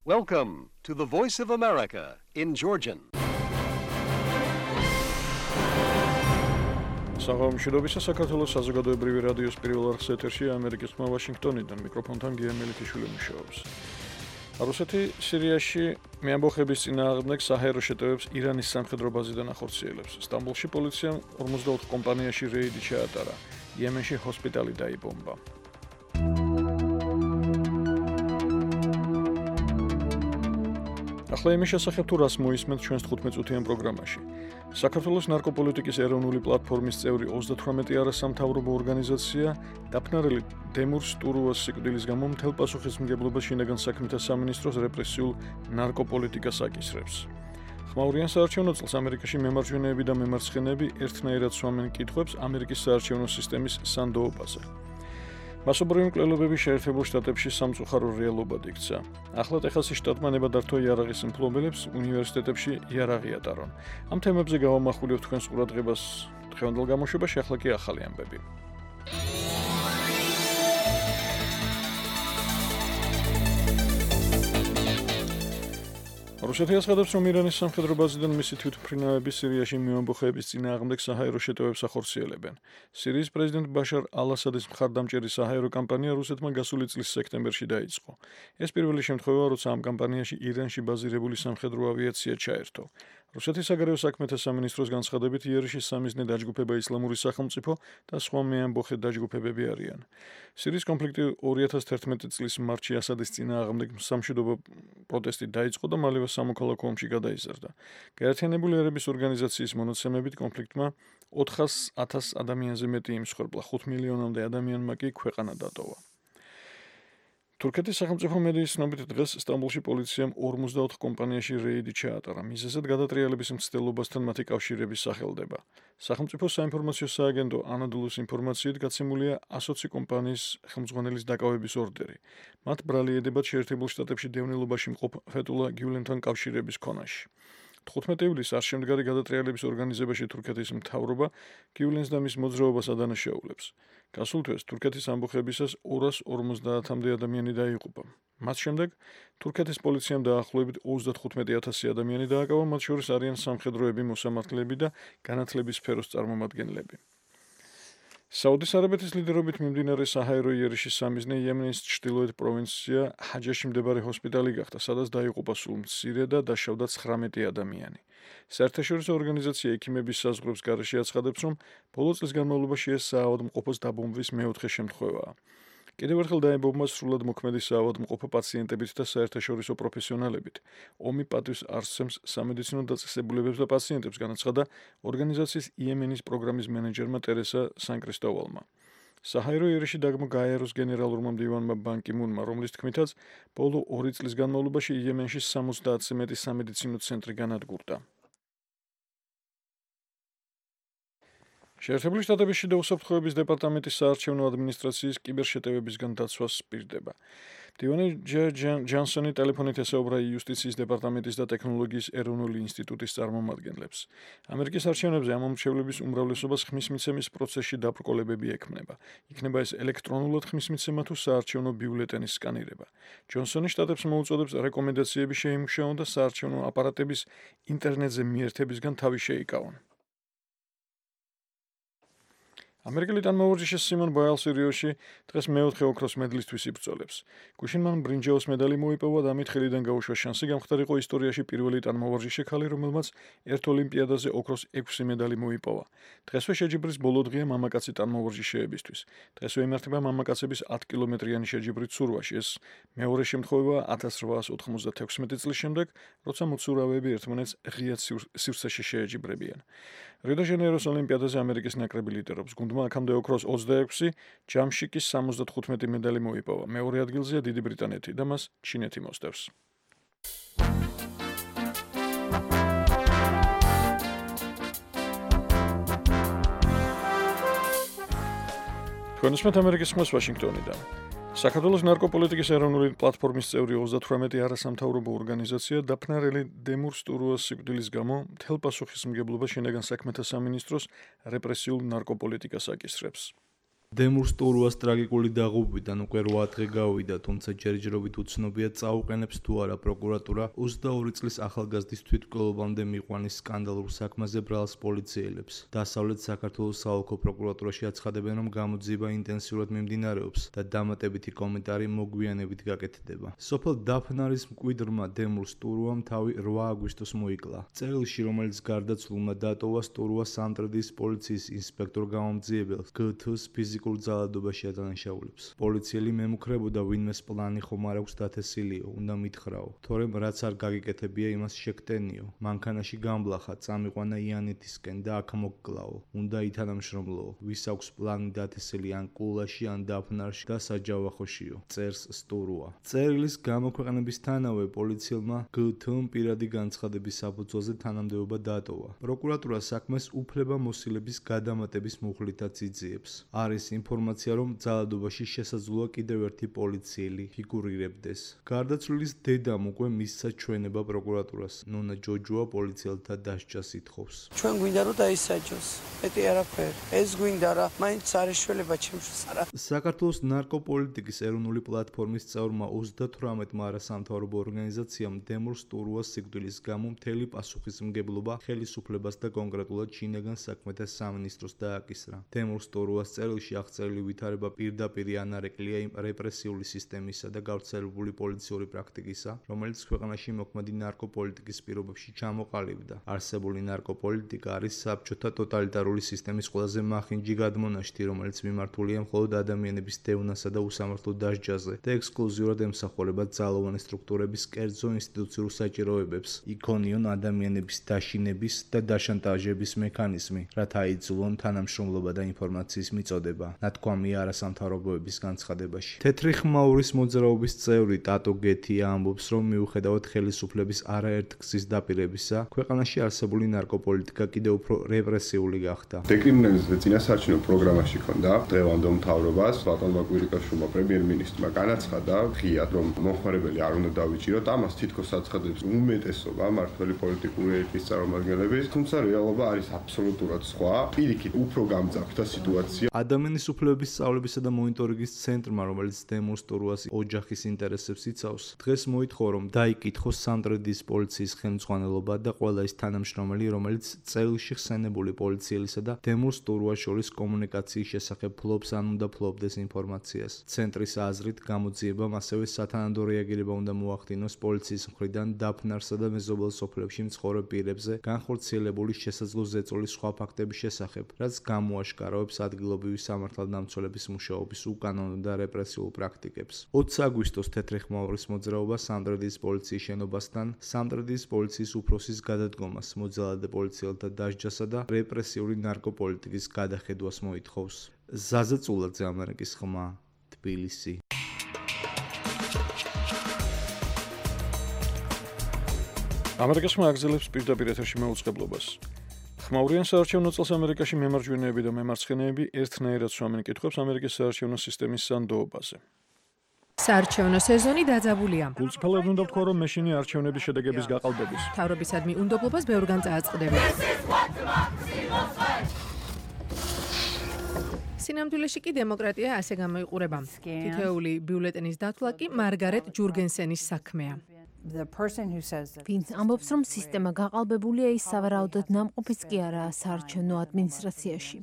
Welcome to the Voice of America in Georgian. Საღამოშიდობისა საქართველოს საზოგადოებრივი რადიოს პირველ არხის ეთერში ამერიკის ხმა ვაშინგტონიდან მიკროფონთან გია მელიქიშვილი მუშაობს. რუსეთი სირიაში მეამბოხების წინააღმდეგ საჰაერო შეტევებს ირანის სამხედრო ბაზიდან ახორციელებს. სტამბოლში პოლიციამ 44 კომპანიაში რეიდი ჩაატარა. იემენში ჰოსპიტალი დაიბომბა. ახლა იმის შესახებ თუ რას მოისმენთ ჩვენს 15-წუთიან პროგრამაში. საქართველოს ნარკოპოლიტიკის ეროვნული პლატფორმის წევრი 38 არასამთავრობო ორგანიზაცია დაფნარელი დემურ სტურუას სიკვდილის გამო მთელ პასუხისმგებლობას შინაგან საქმეთა სამინისტროს რეპრესიულ ნარკოპოლიტიკას აკისრებს. ხმაურიან საარჩევნო წელს ამერიკაში მემარჯვენეები და მემარცხენეები ერთნაირად სვამენ კითხვებს ამერიკის საარჩევნო სისტემის სანდოობაზე. მასობრივი მკვლელობები შეერთებულ შტატებში სამწუხარო რეალობად იქცა. ახლა ტეხასის შტატმა ნებადართო იარაღის მფლობელებს უნივერსიტეტებში იარაღი ატარონ. ამ თემებზე გავამახვილებთ თქვენს ყურადღებას დღევანდელ გამოშვებაში, ახლა კი ახალი ამბები. რუსეთი აცხადებს, რომ ირანის სამხედრო ბაზიდან მისი თვითმფრინავები სირიაში მეამბოხეების წინააღმდეგ საჰაერო შეტევებს ახორციელებენ. სირიის პრეზიდენტ ბაშარ ალ-ასადის მხარდამჭერი საჰაერო კამპანია რუსეთმა გასული წლის სექტემბერში დაიწყო. ეს პირველი შემთხვევაა, როცა ამ კამპანიაში ირანში ბაზირებული სამხედრო ავიაცია ჩაერთო. რუსეთის საგარეო საქმეთა სამინისტროს განცხადებით, იერიშის სამიზნე დაჯგუფება ისლამური სახელმწიფო და სხვა მეამბოხე დაჯგუფებები არიან. სირიის კონფლიქტი 2011 წლის მარტში ასადის წინააღმდეგ სამშვიდობო პროტესტი დაიწყო და მალევე სამოქალაქო ომში გადაიზარდა. გაერთიანებული ერების ორგანიზაციის მონაცემებით კონფლიქტმა 400,000 ადამიანზე მეტი იმსხვერპლა, 5 მილიონამდე ადამიანმა კი ქვეყანა დატოვა. თურქეთის სახელმწიფო მედიის ცნობით დღეს სტამბოლში პოლიციამ 44 კომპანიაში რეიდი ჩაატარა. მიზეზად გადატრიალების მცდელობასთან მათი კავშირების სახელდება. სახელმწიფო საინფორმაციო სააგენტო ანადოლუს ინფორმაციით გაცემულია 120 კომპანიის ხელმძღვანელის დაკავების ორდერი. მათ ბრალი ედებათ შეერთებულ შტატებში დევნილობაში მყოფ ფეტულა გიულენთან კავშირების ქონაში. 15 ივლისს არ შემდგარი გადატრიალების ორგანიზებაში თურქეთის მთავრობა გიულენს და მის მოძრაობას ადანაშაულებს. გასულ თვეს თურქეთის ამბოხებისას 250-მდე ადამიანი დაიღუპა. მათ შემდეგ თურქეთის პოლიციამ დაახლოებით 35,000 ადამიანი დააკავა, მათ შორის არიან სამხედროები, მოსამართლეები და განათლების სფეროს წარმომადგენლები. საუდის არაბეთის ლიდერობით მიმდინარე საჰაერო იერიშის სამიზნე იემენის ჩრდილოეთ პროვინცია ჰაჯაში მდებარე ჰოსპიტალი გახდა, სადაც დაიღუპა სულ მცირე და დაშავდა 19 ადამიანი. საერთაშორისო ორგანიზაცია ექიმების საზღვრების გარეშე აცხადებს, რომ ბოლო წლის განმავლობაში ეს საავადმყოფოს დაბომბვის მეოთხე შემთხვევაა. კიდევ ერთხელ დაიბომბა სრულად მოქმედი საავადმყოფო პაციენტებით და საერთაშორისო პროფესიონალებით. ომი პატივს არსცემს სამედიცინო დაწესებულებებს და პაციენტებს, განაცხადა ორგანიზაციის იემენის პროგრამის მენეჯერმა ტერესა სან-კრისტოვალმა. საჰაერო იერიში დაგმო გაეროს გენერალურმა მდივანმა ბან კი მუნმა, რომლის თქმითაც ბოლო 2 წლის განმავლობაში იემენში 70-ზე მეტი სამედიცინო ცენტრი განადგურდა. შეერთებული შტატების შიდა უსაფრთხოების დეპარტამენტის საარჩევნო ადმინისტრაციის კიბერშეტევებისგან დაცვას პირდება. მდივანი ჯანსონი ტელეფონით ესაუბრა იუსტიციის დეპარტამენტის და ტექნოლოგიის ეროვნული ინსტიტუტის წარმომადგენლებს. ამერიკის არჩევნებზე ამ მომრჩევლების უმრავლესობას ხმის მიცემის პროცესში დაბრკოლებები ექმნება. იქნება ეს ელექტრონულად ხმის მიცემა თუ საარჩევნო ბიულეტენის სკანირება. ჯონსონი შტატებს მოუწოდებს რეკომენდაციები შეიმუშაონ და საარჩევნო აპარატების ინტერნეტზე მიერთებისგან თავი შეიკავონ. ამერიკელი ტანმოვარჯიშე სიმონ ბაილსი რიოში დღეს მეოთხე ოქროს მედლისთვის იბრძოლებს. გუშინ მან ბრინჯაოს მედალი მოიპოვა და ამით ხელიდან გაუშვა შანსი გამხდარიყო ისტორიაში პირველი ტანმოვარჯიშე ქალი, რომელმაც ერთ ოლიმპიადაზე ოქროს 6 მედალი მოიპოვა. დღესვე შეჯიბრის ბოლო დღეა მამაკაცი ტანმოვარჯიშეებისთვის. დღესვე იმართება მამაკაცების 10 კილომეტრიანი შეჯიბრი ცურვაში. ეს მეორე შემთხვევაა 1896 წლის შემდეგ, როცა მოცურავეები ერთმანეთს ღიად სივრცეში შეეჯიბრებიან. რიო-დე-ჟანეიროს ოლიმპიადაზე ამერიკის ნაკრები ლიდერობს. გუნდმა აქამდე ოქროს 26, ჯამში კი 75 მედალი მოიპოვა. მეორე ადგილზეა დიდი ბრიტანეთი და მას ჩინეთი მოსდევს. თქვენ უსმენთ ამერიკის ხმას ვაშინგტონიდან. საქართველოს ნარკოპოლიტიკის ეროვნული პლატფორმის წევრი 38 არასამთავრობო ორგანიზაცია დაფნარელი დემურ სტურუას სიკვდილის გამო მთელ პასუხისმგებლობას შინაგან საქმეთა სამინისტროს რეპრესიულ ნარკოპოლიტიკას აკისრებს. დემურ სტურუას ტრაგიკული დაღუპვიდან უკვე 8 დღე გავიდა, თუმცა ჯერჯერობით უცნობია წაუყენებს თუ არა პროკურატურა 22 წლის ახალგაზრდის თვითმკვლელობამდე მიყვანის სკანდალურ საქმეზე ბრალს პოლიციელებს. დასავლეთ საქართველოს საოლქო პროკურატურაში აცხადებენ, რომ გამოძიება ინტენსიურად მიმდინარეობს და დამატებითი კომენტარი მოგვიანებით გაკეთდება. სოფელ დაფნარის მკვიდრმა დემურ სტურუამ თავი 8 აგვისტოს მოიკლა. წერილში, რომელიც გარდაცვლილმა დატოვა, სტურუა სამტრედიის პოლიციის ინსპექტორ გამომძიებელს GT-ს ფიზიკურ ძალადობაში ადანაშაულებს. პოლიციელი მემუქრებოდა, ვინმეს პლანი ხომ არ აქვს დათესილიო, უნდა მითხრაო, თორემ რაც არ გაგიკეთებია, იმას შეგტენიო. მანქანაში გამბლახა, წამიყვანა იანეთისკენ და აქ მოგკლაო. უნდა ითანამშრომლოო, ვის აქვს პლანი დათესილი ან კულაში, ან დაფნარში და საჯავახოშიო. წერს სტურუა. წერილის გამოქვეყნებისთანავე პოლიციელმა GT-მ პირადი განცხადების საფუძველზე თანამდებობა დატოვა. პროკურატურა საქმეს უფლებამოსილების გადამატების მუხლითაც იძიებს. არის ინფორმაცია, რომ ძალადობაში შესაძლოა კიდევ ერთი პოლიციელი ფიგურირებდეს. გარდაცვლილის დედამ უკვე მისცა ჩვენება პროკურატურას. ნონა ჯოჯოა პოლიციელთა დასჯას ითხოვს. ჩვენ გვინდა რომ დაისაჯოს. მეტი არაფერი. ეს გვინდა რა, მაინც არის შველება ჩემთვის არა. საქართველოს ნარკოპოლიტიკის ეროვნული პლატფორმის წევრმა 38-მა არასამთავრობო ორგანიზაციამ დემურ სტურუას სიკვდილის გამო მთელი პასუხისმგებლობა ხელისუფლებას და კონკრეტულად შინაგან საქმეთა სამინისტროს დააკისრა. დემურ სტურუას წერილში აღწერილი ვითარება პირდაპირი ანარეკლია იმ რეპრესიული სისტემისა და გავრცელებული პოლიციური პრაქტიკისა, რომელიც ქვეყანაში მოქმედი ნარკოპოლიტიკის პირობებში ჩამოყალიბდა. არსებული ნარკოპოლიტიკა არის საბჭოთა ტოტალიტარული სისტემის ყველაზე მახინჯი გადმონაშთი, რომელიც მიმართულია მხოლოდ ადამიანების დევნასა და უსამართლო დასჯაზე და ექსკლუზიურად ემსახურება ძალოვანი სტრუქტურების კერძო ინსტიტუციურ საჭიროებებს, იქონიონ ადამიანების დაშინების და დაშანტაჟების მექანიზმი, რათა აიძულონ თანამშრომლობა და ინფორმაციის მიწოდება, ნათქვამია არასამთავრობოების განცხადებაში. თეთრი ხმაურის მოძრაობის წევრი ტატო გეთია ამბობს, რომ მიუხედავად ხელისუფლების არაერთგზის დაპირებისა, ქვეყანაში არსებული ნარკოპოლიტიკა კიდევ უფრო რეპრესიული გახდა. დეკრიმინალიზაციის წინასაარჩევნო პროგრამაში ქონდა დღევანდელ მთავრობას ბატონმა კვირიკაშვილმა პრემიერ-მინისტრმა განაცხადა ღიად, რომ მომხმარებელი არ უნდა დავიჭიროთ, ამას თითქოს აცხადებს უმეტესობა მართველი პოლიტიკური ელიტის წარმომადგენლების, თუმცა რეალობა არის აბსოლუტურად სხვა. პირიქით უფრო გამძაფრდა სიტუაცია. ადამიანის უფლებების სწავლებისა და მონიტორინგის ცენტრმა, რომელიც დემურ სტურუას ოჯახის ინტერესებს იცავს, დღეს მოითხოვა, რომ დაიკითხოს სამტრედიის პოლიციის ხელმძღვანელობა და ყველა ის თანამშრომელი, რომელიც წერილში ხსენებული პოლიციელისა და დემურ სტურუას შორის კომუნიკაციის შესახებ ფლობს ან უნდა ფლობდეს ინფორმაციას. ცენტრის აზრით, გამოძიებამ ასევე სათანადო რეაგირება უნდა მოახდინოს პოლიციის მხრიდან დაფნარსა და მეზობელ სოფლებში მცხოვრებ პირებზე განხორციელებული შესაძლო ზეწოლის სხვა ფაქტების შესახებ, რაც გამოაშკარავებს ადგილობრივი სამართალდამცველების მუშაობის უკანონო და რეპრესიულ პრაქტიკებს. 20 აგვისტოს თეთრი ხმაურის მოძრაობა სამტრედიის პოლიციის შენობასთან სამტრედიის პოლიციის უფროსის გადადგომას, მოძალადე პოლიციელთა დასჯასა და რეპრესიული ნარკოპოლიტიკის გადახედვას მოითხოვს. ზაზა წულაძე, ამერიკის ხმა, თბილისი. ამერიკის ხმა აგრძელებს პირდაპირ ეთერში მეუწყებლობას. ხმაურიან საარჩევნო წელს ამერიკაში მემარჯვენეები და მემარცხენეები ერთნაირად სვამენ კითხვებს ამერიკის საარჩევნო სისტემის სანდოობაზე. საარჩევნო სეზონი დაძაბულია. გულწრფელად უნდა ვთქვა, რომ მეშინი არჩევნების შედეგების გაყალბების. მთავრობისადმი უნდობლობას ბევრგან წააწყდები. სინამდვილეში კი დემოკრატია ასე გამოიყურება. თითოეული ბიულეტენის დათვლა კი მარგარეტ ჯურგენსენის საქმეა. ვინც ამბობს, რომ სისტემა გაყალბებულია, ის სავარაუდოდ ნამყოფიც კი არაა საარჩევნო ადმინისტრაციაში.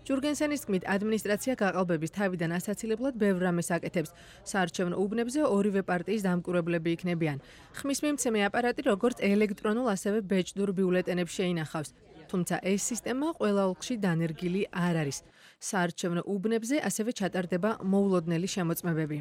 ჯურგენსენის თქმით, ადმინისტრაცია გაყალბების თავიდან ასაცილებლად ბევრ რამეს აკეთებს. საარჩევნო უბნებზე ორივე პარტიის დამკვირვებლები იქნებიან. ხმის მიმცემი აპარატი როგორც ელექტრონულ, ასევე ბეჭდურ ბიულეტენებს შეინახავს. თუმცა ეს სისტემა ყველა ოლქში დანერგილი არ არის. საარჩევნო უბნებზე ასევე ჩატარდება მოულოდნელი შემოწმებები.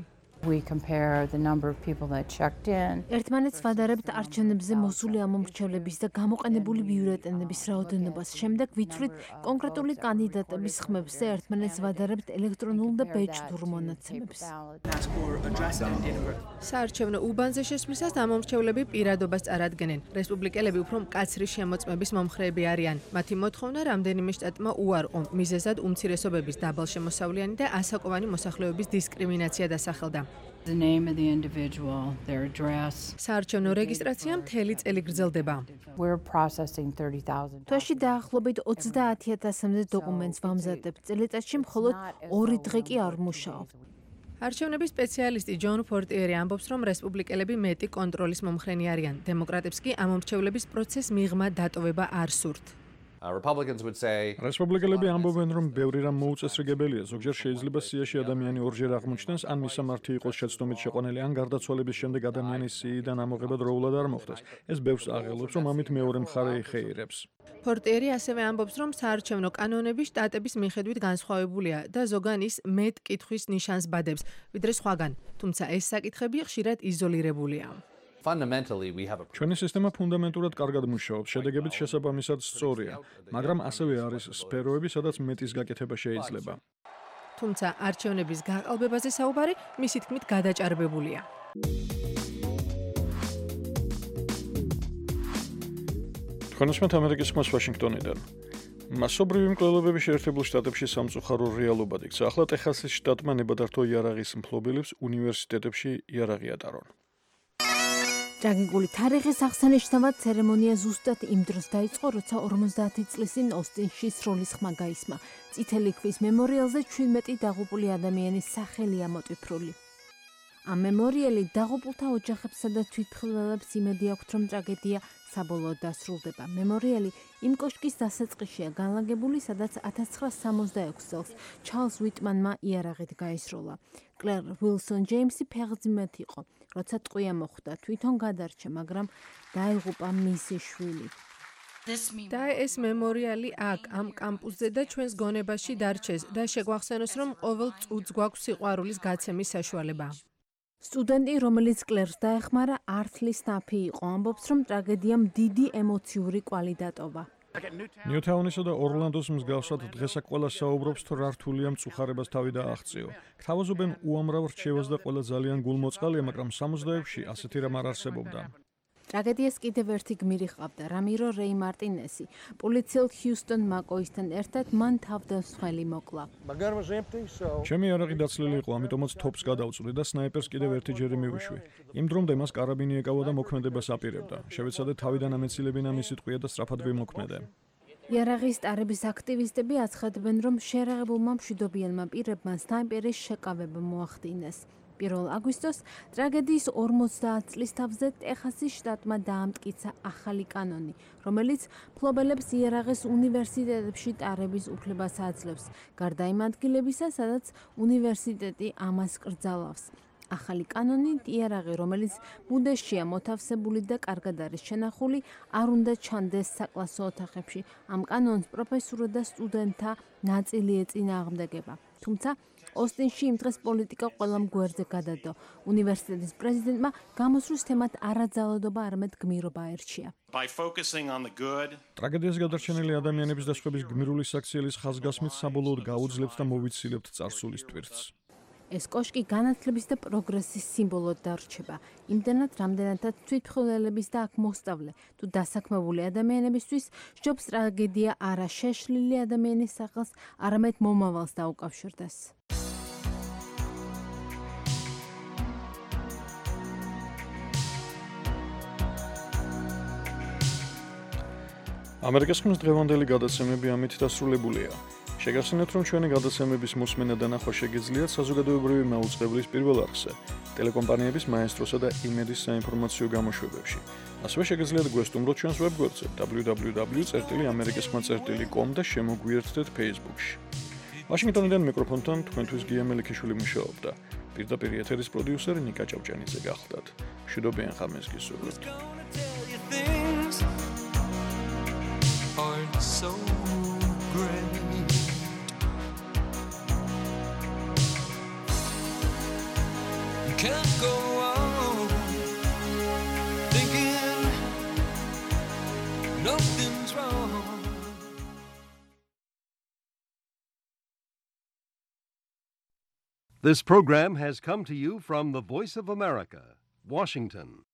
ერთმანეთს ვადარებთ არჩევნებზე მოსული ამომრჩევლების და გამოყენებული ბიულეტენების რაოდენობას. შემდეგ ვიცვლით კონკრეტული კანდიდატების ხმებს და ერთმანეთს ვადარებთ ელექტრონულ და ბეჭდურ მონაცემებს. საარჩევნო უბანზე შესვლისას ამომრჩევლები პირადობას წარადგენენ. რესპუბლიკელები უფრო მკაცრი შემოწმების მომხრეები არიან. მათი მოთხოვნა რამდენიმე შტატმა უარყო, მიზეზად უმცირესობების დაბალშემოსავლიანი და ასაკოვანი მოსახლეობის დისკრიმინაცია დასახელდა. The name of the individual, their address. საარჩევნო რეგისტრაცია მთელი წელი გრძელდება. We're processing 30,000. თვეში დაახლოებით 30,000-მდე დოკუმენტს ვამზადებთ. წელიწადში მხოლოდ 2 დღე კი არ მუშაობ. არჩევნების სპეციალისტი ჯონ ფორტიერი ამბობს, რომ რესპუბლიკელები მეტი კონტროლის მომხრენი არიან. დემოკრატებს კი ამ მომრჩევლების პროცესს მიღმა დატოვება არ სურთ. Republicans would say რესპუბლიკელები ამბობენ, რომ ბევრი რამ მოუწესრიგებელია. ზოგჯერ შეიძლება სიაში ადამიანი ორჯერ აღმოჩნდეს, ან მისამართი იყოს შეცდომით შეყვანილი, ან გარდაცვალების შემდეგ ადამიანის სიიდან ამოღება დროულად არ მოხდეს. ეს ბევრს აღელვებს, რომ ამით მეორე მხარე იხეირებს. ფორტიერი ასევე ამბობს, რომ საარჩევნო კანონები შტატების მიხედვით განსხვავებულია და ზოგან ის მეტ კითხვის ნიშანს ბადებს, ვიდრე სხვაგან. თუმცა ეს საკითხები ხშირად იზოლირებულია. fundamentally we have a ჩვენი სისტემა ფუნდამენტურად კარგად მუშაობს, შედეგებიც შესაბამისად სწორია, მაგრამ ასევე არის სფეროები, სადაც მეტის გაკეთება შეიძლება. თუმცა არჩევნების გაყალბებაზე საუბარი მისი თქმით გადაჭარბებულია. თქვენოსმეთ ამერიკის ხმას ვაშინგტონიდან. მასობრივი მკვლელობები შეერთებულ შტატებში სამწუხარო რეალობად იქცა. ახლა ტეხასის შტატმა ნებადართო იარაღის მფლობელებს უნივერსიტეტებში იარაღი ატარონ. ტრაგიკული თარიღის აღსანიშნავად ცერემონია ზუსტად იმ დროს დაიწყო, როცა 50 წლის წინ ოსტინში სროლის ხმა გაისმა. წითელი ქვის მემორიალზე 17 დაღუპული ადამიანის სახელია მოტვიფრული. ამ მემორიალი დაღუპულთა ოჯახებსა და თვითმხილველებს იმედი აქვთ, რომ ტრაგედია საბოლოოდ დასრულდება. მემორიალი იმ კოშკის დასაწყისშია განლაგებული, სადაც 1966 წელს ჩარლზ უიტმანმა იარაღით გაისროლა. კლერ უილსონ ჯეიმსი ფეხმძიმედ იყო. როცა ტყვია მოხვდა, თვითონ გადარჩა, მაგრამ დაიღუპა მისი შვილი. და ეს მემორიალი აქ ამ კამპუსზე და ჩვენს გონებაში დარჩეს და შეგვახსენოს, რომ ყოველ წუთს გვაქვს სიყვარულის გაცემის საშუალება. სტუდენტი, რომელიც კლერს დაეხმარა, ართლის ნაფი იყო, ამბობს, რომ ტრაგედიამ დიდი ემოციური კვალი დატოვა. ნიუთაუნისა და ორლანდოს მსგავსად დღეს აქ ყველა საუბრობს, თუ რა რთულია მწუხარებას თავი დააღწიო. გთავაზობენ უამრავ რჩევას და ყველა ძალიან გულმოწყალია, მაგრამ 60-ებში ასეთი რამ არ არსებობდა. ტრაგედიას კიდევ ერთი გმირი ჰყავდა, რამირო რეი მარტინესი. პოლიციელ ჰიუსტონ მაკოისთან ერთად მან თავდამსხმელი მოკლა. ჩემი იარაღი დაცლილი იყო, ამიტომაც თოპს გადავწვდი და სნაიპერს კიდევ ერთიჯერ მივიშვი. იმ დრომდე მას კარაბინი ეკავა და მოქმედებას აპირებდა. შევეცადე თავიდან ამეცილებინა მისი ტყვია და სწრაფად ვიმოქმედე. იარაღის ტარების აქტივისტები აცხადებენ, რომ შეერაღებულმა მშვიდობიანმა პირებმა სნაიპერის შეკავება მოახდინეს. 1 აგვისტოს ტრაგედიის 50 წლის თავზე ტეხასის შტატმა დაამტკიცა ახალი კანონი, რომელიც მფლობელებს იარაღის უნივერსიტეტებში ტარების უფლებას აძლევს, გარდა იმ ადგილებისა, სადაც უნივერსიტეტი ამას კრძალავს. ახალი კანონი იარაღი, რომელიც ბუდეშია მოთავსებული და კარგად არის შენახული, არ უნდა ჩანდეს საკლასო ოთახებში. ამ კანონს პროფესორთა და სტუდენტთა ნაწილი ეწინააღმდეგება. თუმცა ოსტინში იმ დღეს პოლიტიკა ყველამ გვერდზე გადადო. უნივერსიტეტის პრეზიდენტმა გამოსვლის თემად არაძალადობა, არამედ გმირობა აერჩია. ტრაგედიას გადარჩენილი ადამიანების და სხვების გმირული საქციელის ხაზგასმით საბოლოოდ გაუძლებთ და მოვიცილებთ წარსულის ტვირთს. ეს კოშკი განათლების და პროგრესის სიმბოლოდ დარჩება. იმდენად, რამდენადაც თვითმხილველების და აქ მოსწავლე თუ დასაქმებული ადამიანებისთვის სჯობს ტრაგედია არა შეშლილი ადამიანის სახელს, არამედ მომავალს დაუკავშირდეს. ამერიკის ხმის დღევანდელი გადაცემები ამით დასრულებულია. შეგახსენებთ, რომ ჩვენი გადაცემების მოსმენა და ნახვა შეგიძლიათ საზოგადოებრივი მაუწყებლის პირველ არხზე, ტელეკომპანიების მაესტროსა და იმედის საინფორმაციო გამოშვებებში. ასევე შეგიძლიათ გვესტუმროთ ჩვენს ვებგვერდზე www.amerikaskhma.com და შემოგვიერთდეთ Facebook-ში. ვაშინგტონიდან მიკროფონთან თქვენთვის გია მელიქიშვილი მუშაობდა. პირდაპირ ეთერის პროდიუსერი ნიკა ჭავჭანიძე გახლდათ. მშვიდობიან ხამეს გისურვებთ. So great. You can't go on thinking nothing's wrong. This program has come to you from the Voice of America, Washington.